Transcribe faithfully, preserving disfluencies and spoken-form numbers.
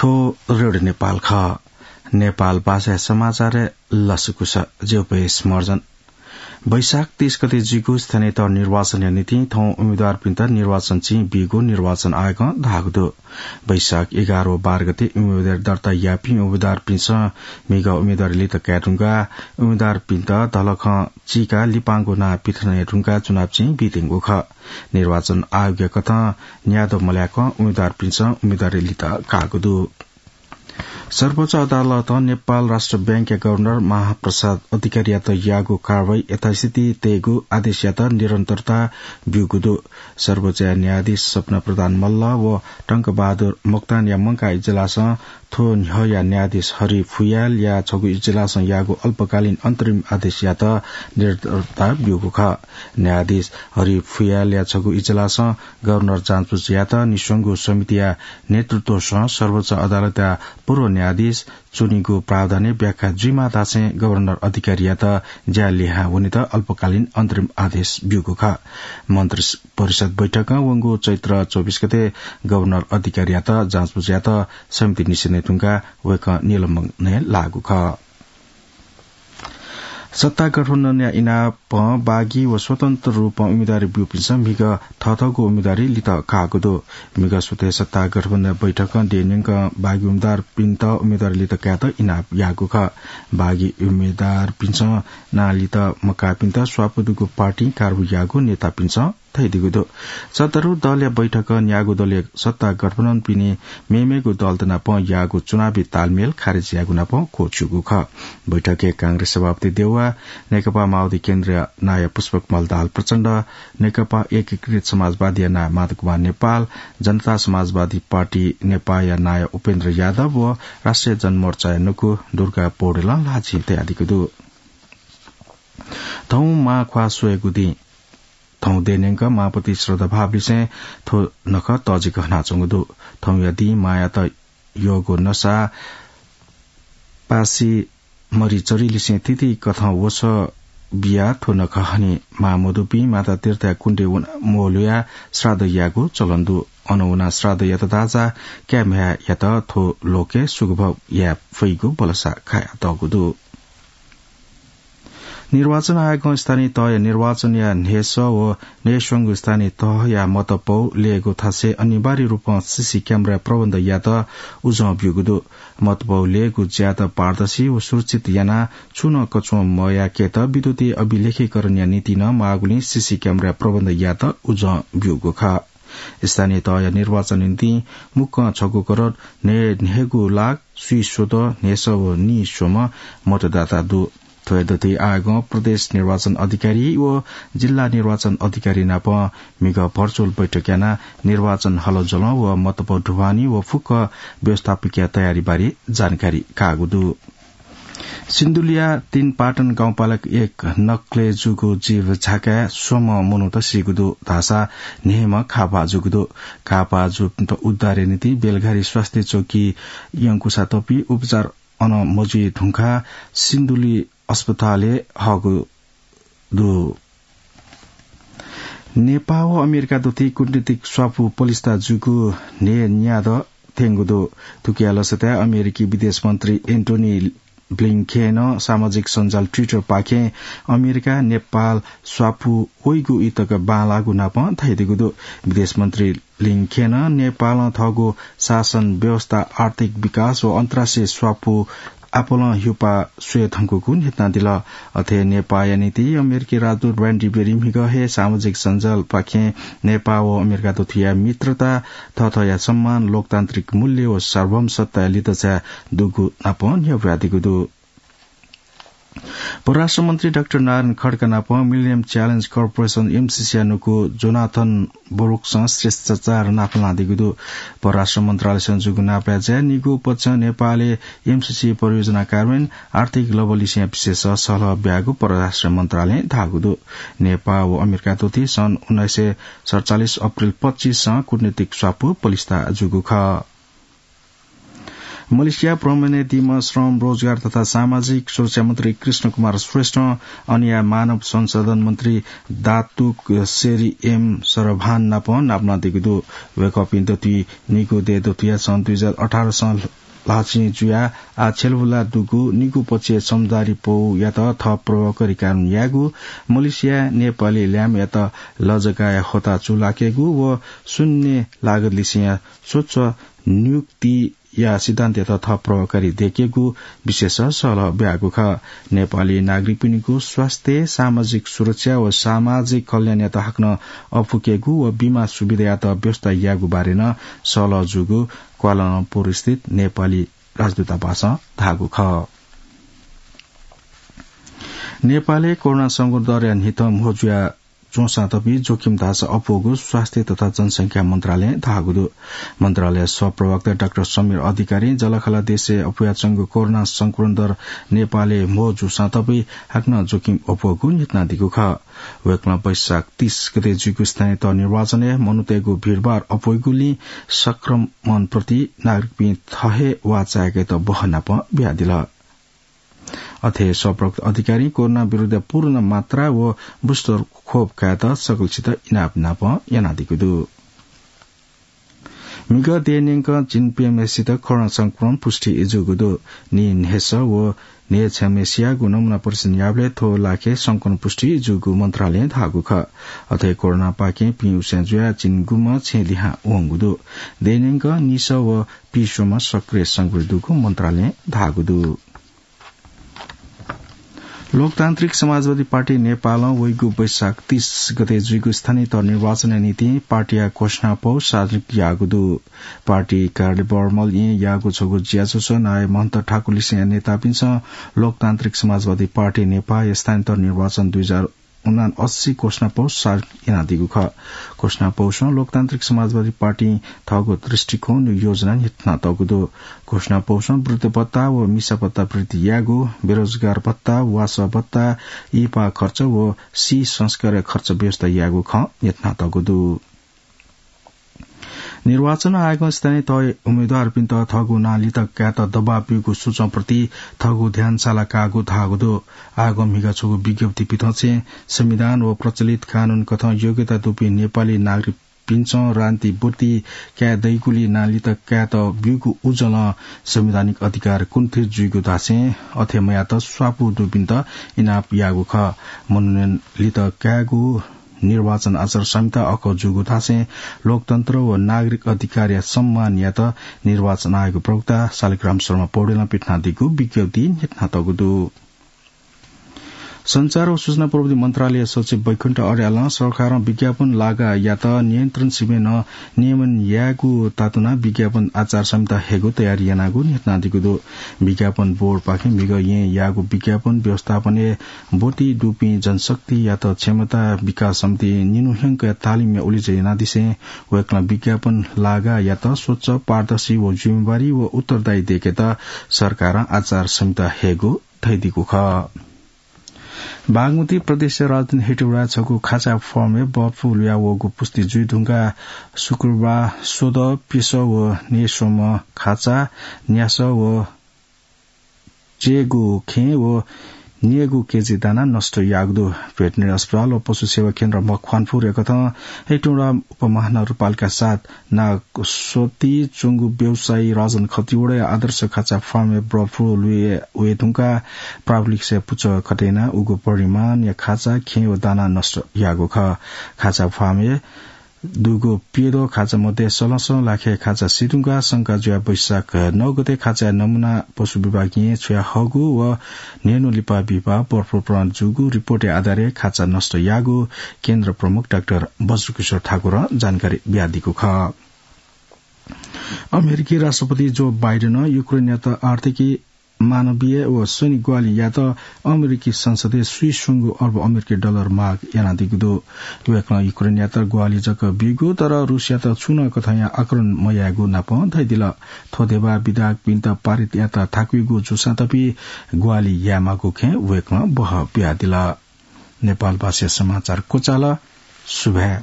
थ्व रेडियो नेपाल खः। नेपाल भाषाया समाचारय् लसकुस। ज्यू पयेस मर्जन। वैशाख तीस गते जुइगु स्थानीय तह निर्वाचनया निंतिं थौं उम्मेदवारपिन्त निर्वाचन चिं बीगु निर्वाचन आयोगं धाःगु दु। वैशाख एघार व बाह्र गते उम्मेदवारी दर्ता याःपिं उम्मेदवारपिन्सं म्हिगः उम्मेदवारी लित काये धुंकाः उम्मेदवारपिन्त धलखं चीकाः लिपांगु नां पिथने धुंकाः चुनाव चिं बीत्यंगु खः। निर्वाचन आयोगया कथं न्यादँ मल्याकं उम्मेदवारपिन्सं उम्मेदवारी लित काःगु दु। सर्वोच्च अदालतं नेपाल राष्ट्र बैंकया गभर्नर महाप्रसाद अधिकारीयात याःगु कारवाही यथास्थिति तयेगु आदेशयात निरन्तरता ब्यूगु दु। सर्वोच्चया न्यायाधीश सपना प्रधान मल्ल व टंकबहादुर मोक्तानया मंकाः इजलासं थ्व न्ह्यःया न्यायाधीश हरि फुयालया छगू इजलासं याःगु अल्पकालीन अन्तरिम आदेशयात निरन्तरता ब्यूगु खः। न्यायाधीश हरि फुयालया छगू इजलासं गभर्नर जाँचबुझ यायेत निस्वंगु समितिया नेतृत्वसं सर्वोच्च अदालतया पूर्व न्यायाधीश च्वनीगु प्रावधानय् व्याख्या जुइमाः धासें गभर्नर अधिकारीयात ज्या लिहां वनेत अल्पकालीन अन्तरिम आदेश ब्यूगु खः। मन्त्री परिषद बैठकं वंगु चैत्र चौबिस गते गभर्नर अधिकारीयात जाँचबुझ यायेत समिति निस्वने धुंकाः वय्कः निलम्बनय् लाःगु खः। सत्ता गठबन्धनया इनापं बागी व स्वतन्त्र रूपं उम्मेदवारी ब्यूपिन्सं म्हिगः थःथःगु उम्मेदवारी लित काःगु दु। म्हिगः स्वतन्त्र सत्ता गठबन्धन बैठकं देय्‌न्यंकं बागी उम्मेदवारपिन्त उम्मेदवारी लित कायेत इनाप याःगु खः। बागी उम्मेदवारपिन्सं नां लित मकाःपिन्त स्वापू दुगु पार्टिं कारवाही याःगु नेतापिन्सं धयादीगु दु। सत्तारूढ दलया बैठकं न्यागू दलया सत्ता गठबन्धनपिनि मेमेगु दलत नाप याःगु चुनावी तालमेल खारेज याःगु नाप क्वःछिउगु खः। बैठकय् कांग्रेस सभापति देउवा, नेकपा माओवादी केन्द्रया नायः पुष्पकमल दाहाल प्रचण्ड, नेकपा एकीकृत समाजवादीया नायः माधव कुमार नेपाल, जनता समाजवादी पार्टी नेपाःया नायः उपेन्द्र यादव व राष्ट्रिय जनमोर्चाया नुगः दुर्गा पौडेलं ल्हाःचिं तयादीगु दु। थौं मांख्वाः स्वयेगु दिं। थौं देय्‌न्यंक मांपति श्रद्धाभावलिसें थ्व नखः तःजिक हनाच्वंगु दु। थौंया दिं मांयात यःगु नसा पासि मरि चरिलिसें तिथि कथं वसः बियाः थ्व नखः हनी। मां मदुपिं माता तीर्थया कुण्डय् वनाः म्वःल्हुयाः श्राद्ध यायेगु चलन दु। अन वनाः श्राद्ध यात धाःसा काय् म्ह्याय्‌यात थ्व लोकय् सुगभोग याये फइगु भलसा कयातःगु दु। निर्वाचन आयोगं स्थानीय तहया निर्वाचनया न्हय्‌सः व न्हय्‌स्वंगू स्थानीय तहया मतपौ लयेगु थासय् अनिवार्य रूपं सीसी क्यामेरा प्रबन्ध यायेत उजं ब्यूगु दु। मतपौ लयेगु ज्यात पारदर्शी व सुरक्षित यानाः छुं नं कछुं मयाकेत विद्युतीय अभिलेखीकरणया निंतिं नं माःगुलिं सीसी क्यामेरा प्रबन्ध यायेत उजं ब्यूगु खः। स्थानीय तहया निर्वाचन निंतिं मुक्कं छगू करोड न्हय् न्हय्‌गू लाख स्वीस्वदँ न्हय्‌सः व नीस्वम्ह मतदाता दु। थ्व हे दथुइ आयोगं प्रदेश निर्वाचन अधिकारी व जिल्ला निर्वाचन अधिकारी नाप म्हिगः भर्चुअल बैठक यानाः निर्वाचन हलजलं व मतपौ ढुवानी व फुक्क व्यवस्थापकीय तयारी बारे जानकारी काःगु दु। सिन्धुलीया तीन पाटन गाउँपालिका एक नक्कलय् जूगु जीव झाकाय् स्वम्ह मनूत सीगु दु धाःसा न्हय्‌म्ह घाःपाः जूगु दु। घाःपाः जूपिन्त उद्धारया निंतिं बेलघारी स्वास्थ्य चौकी यंकुसा तपी उपचार अन मजुइ धुंकाः सिन्धुली अस्पतालय् हःगु दु। नेपाः व अमेरिका दथुइ कूटनीतिक स्वापू पलिस्था जूगु न्हय् न्यादँ थ्यंगु दु। थुकिया लसताय् अमेरिकी विदेश मन्त्री एन्टोनी ब्लिंकेनं सामाजिक सञ्जाल Twitter पाखें अमेरिका नेपाल स्वापू वइगु ई तक बांलाःगु नापं धयादीगु दु। विदेश मन्त्री ब्लिंकेनं नेपालं थःगु शासन व्यवस्था, आर्थिक विकास व अन्तर्राष्ट्रिय स्वापू आपालं हिउपाः स्वये धुंकूगु न्ह्यथनादिल। अथे नेपाःया निंतिं अमेरिकी राजदूत र्यान्डी बेरी म्हिगः हे सामाजिक सञ्जाल पाखें नेपाः व अमेरिका दथुया मित्रता, थःथःया सम्मान, लोकतान्त्रिक मूल्य व सार्वभौम सत्ताया लित झाये दुगु नापं न्ह्यब्वयादीगु दु। परराष्ट्र मन्त्री डाक्टर नारायण खड्का नाप Millennium Challenge Corporation, एमसीसीया नुगः जोनाथन ब्रुक्सं शिष्टाचार नापलानादीगु दु। परराष्ट्र मन्त्रालयसं जूगु नापलाय्‌जाय् निगू पक्षं नेपालय् एमसीसी परियोजना कार्यान्वयन, आर्थिक लबलिसेया विषयस सल्लाह ब्याःगु परराष्ट्र मन्त्रालयं धाःगु दु। नेपाः व अमेरिका दथुइ सन् उन्नाइस सय सतचालिस अप्रिल पच्चिसं कूटनीतिक स्वापू पलिस्था जूगु खः। मलेसिया भ्रमणय् दीम्ह श्रम, रोजगार तथा सामाजिक सुरक्षा मन्त्री कृष्ण कुमार श्रेष्ठं अनया मानव संसाधन मन्त्री दातुक सेरी एम सरभान नाप नापना दीगु दु। वय्कःपिं दथुइ निगू दय् दथुया सन् दुई हजार अठार सं ल्हाःचिं जुयाः आः छ्यलबुला दुगु निगू पक्षय् समझदारी पौयात थः प्रभावकारी कानून यायेगु, मलेसिया नेपाली ल्याम्हयात लजगाय होता चूलाकेगु व शून्य लागत लिसेंया स्वच्छ नियुक्तिया सिद्धान्तयात थप प्रभावकारी दयेकेगु विशेष सहलह ब्यागु खः। नेपाली नागरिकपिनिगु स्वास्थ्य, सामाजिक सुरक्षा व सामाजिक कल्याणयात हाकनं अप्वकेगु व बीमा सुविधायात व्यवस्था यायेगु बारे नं सहलह जूगु क्वालालम्पुर स्थित नेपाली राजदूतावासं धाःगु खः। नेपालय् कोरोना संक्रमण दरया न्हिथं म्हो जुया च्वंसां तपि जोखिम धाःसा अप्वःगु स्वास्थ्य तथा जनसंख्या मन्त्रालयं धाःगु दु। मन्त्रालय सहप्रवक्ता डाक्टर समीर अधिकारीं जःलाखःला देशय् अप्वयाच्वंगु कोरोना संक्रमण दर नेपालय् म्हो जूसां तपि हाकनं जोखिम अप्वःगु न्ह्यथनादीगु खः। वय्कलं वैशाख तीस गते जुइगु स्थानीय तह निर्वाचनय् मनूतय्गु भीडभाड अप्वइगुलिं संक्रमणप्रति नागरिकपिं थः हे वाः चाय्केत बहनाप बियादिल। अथे सहप्रवक्ता अधिकारीं कोरोना विरुद्ध पूर्ण मात्रा व booster खोप कायेत सकलसित इनाप नाप यानादीगु दु। म्हिगः देय् न्यंकं झिंप्यम्हेसित कोरोना संक्रमण पुष्टि जूगु दु। नीन्हय्स व न्हय्छ्याम्हेसियागु नमूना परीक्षण याःबलय् थ्व लाखे संक्रमण पुष्टि जूगु मन्त्रालयं धाःगु खः। अथे कोरोनापाखें पिउस्यां जुयाः झिंगुम्ह छेँ लिहां वंगु दु। देय् न्यंकं निसः व पिस्वम्ह सक्रिय संक्रमित दुगु मन्त्रालयं धाःगु दु। लोकतान्त्रिक समाजवादी पार्टी नेपालं वइगु वैशाख तीस गते जुइगु स्थानीय तह निर्वाचनया निंतिं पार्टीया घोषणापौ सार्वजनिक याःगु दु। पार्टी कार्यालय बर्मल येँ याःगु छगू ज्याझ्वलय् नायः महन्त ठाकुरलिसेंया नेतापिन्सं लोकतान्त्रिक समाजवादी पार्टी नेपाःया स्थानीय तह निर्वाचन दुई हजार उनासी घोषणापौ सार्वजनिक यानादीगु खः। घोषणापौसं लोकतान्त्रिक समाजवादी पार्टीं थःगु दृष्टिकोण व योजना न्ह्यथनातःगु दु। घोषणापौसं वृद्ध भत्ता व मिसा भत्ता वृद्धि यायेगु, बेरोजगार भत्ता, वासः भत्ता, इहिपाः खर्च व सिंह संस्कारया खर्च व्यवस्था यायेगु खँ न्ह्यथनातःगु दु। निर्वाचन आयोगं स्थानीय तहय् उम्मेदवारपिन्त थःगु नां लित कायेत दबाब ब्यूगु सूचंप्रति थःगु ध्यान साला काःगु धाःगु दु। आयोगं म्हिगः छगू विज्ञप्ति पिथंछेँ संविधान व प्रचलित कानून कथं योग्यता दुपिं नेपाली नागरिकपिन्सं राजनीति ब्वति काये दइगुलिं नां लित कायेत ब्यूगु उजलं संवैधानिक अधिकार कुण्ठित जुइगु धासें अथे मयात स्वापू दुपिन्त इनाप याःगु खः। मनोनयन लित कायेगु निर्वाचन आचार संहिता अखः जूगु धासें लोकतन्त्र व नागरिक अधिकारया सम्मान यायेत निर्वाचन आयोगया प्रवक्ता शालिग्राम शर्मा पौडेलं पिथनादीगु विज्ञप्तिइ न्ह्यथनातःगु दु। सञ्चार व सूचना प्रविधि मन्त्रालय सचिव वैकुण्ठ अर्यालं सरकारं विज्ञापन लागायात नियन्त्रण सिबें नं नियमन यायेगु तातुनाः विज्ञापन आचार संहिता हयेगु तयारी यानागु न्ह्यथनादीगु दु। विज्ञापन बोर्डपाखें म्हिगः येँ याःगु विज्ञापन व्यवस्थापनय् ब्वति दुपिं जनशक्तियात क्षमता विकास समितिं निन्हु ह्यंकया तालिमया उलेज्या यानादिसें वय्कलं विज्ञापन लागायात स्वच्छ, पारदर्शी व जिम्मेवारी व उत्तरदायी दयेकेत सरकारं आचार संहिता हयेगु धयादीगु खः। बागमती प्रदेशया राजधानी हेटौँडाय् छगू खाचा फार्मय् बर्ड फ्लू लुया वःगु पुष्टि जुइ धुंकाः शुक्रबार स्वदँ प्यसः व न्हय्स्वम्ह खाचा, न्यासः व च्यय्गू खेँ व न्यय्गू केजी दाना नष्ट याःगु दु। भेटेरिनरी अस्पताल व पशु सेवा केन्द्र मकवानपुर याकथं हेटौँडा उपमहानगरपालिका सात नागसोती च्वंगु व्यवसायी राजन खतिवडाया आदर्श खाचा फार्मय् बर्ड फ्लू लुया वये धुंकाः प्राविधिकसया पुचः कथं यानाः उगु परिमाणया खाचा, खेँ व दाना नष्ट याःगु खः। खाचा फार्मय् दुगु प्यद्वः खाचा मध्ये सलसं लाखे खाचा सी धुंकाः शंका जुयाः वैशाख नौ गते खाचाया नमूना पशु विभागं छ्वया हःगु व न्हय्न्हु लिपा बिहिबाः बर्ड फ्लू प्रमाणित जूगु रिपोर्टया आधारय् खाचा नष्ट याःगु केन्द्र प्रमुख डाक्टर बज्रकिशोर ठाकुरं जानकारी बियादीगु खः। अमेरिकी राष्ट्रपति जो बाइडेनं युक्रेनयात आर्थिकी, मानवीय व सैनिक ग्वाहालि यायेत अमेरिकी संसदय् स्वीस्वंगू अर्ब अमेरिकी डलर माग यानादीगु दु। वय्कलं युक्रेनयात ग्वाहालि जक बीगु, तर रूसयात छुं नं कथंया आक्रमण मयायेगु नाप धयादिल। थ्व ध्यबा विधेयकपिन्त पारित यायेत थाकुइगु जूसां तपि ग्वाहालि यायेमाःगु खँय् वय्कलं बहः बियादिल। नेपाल भाषाया समाचार क्वचाल। सुभाय्।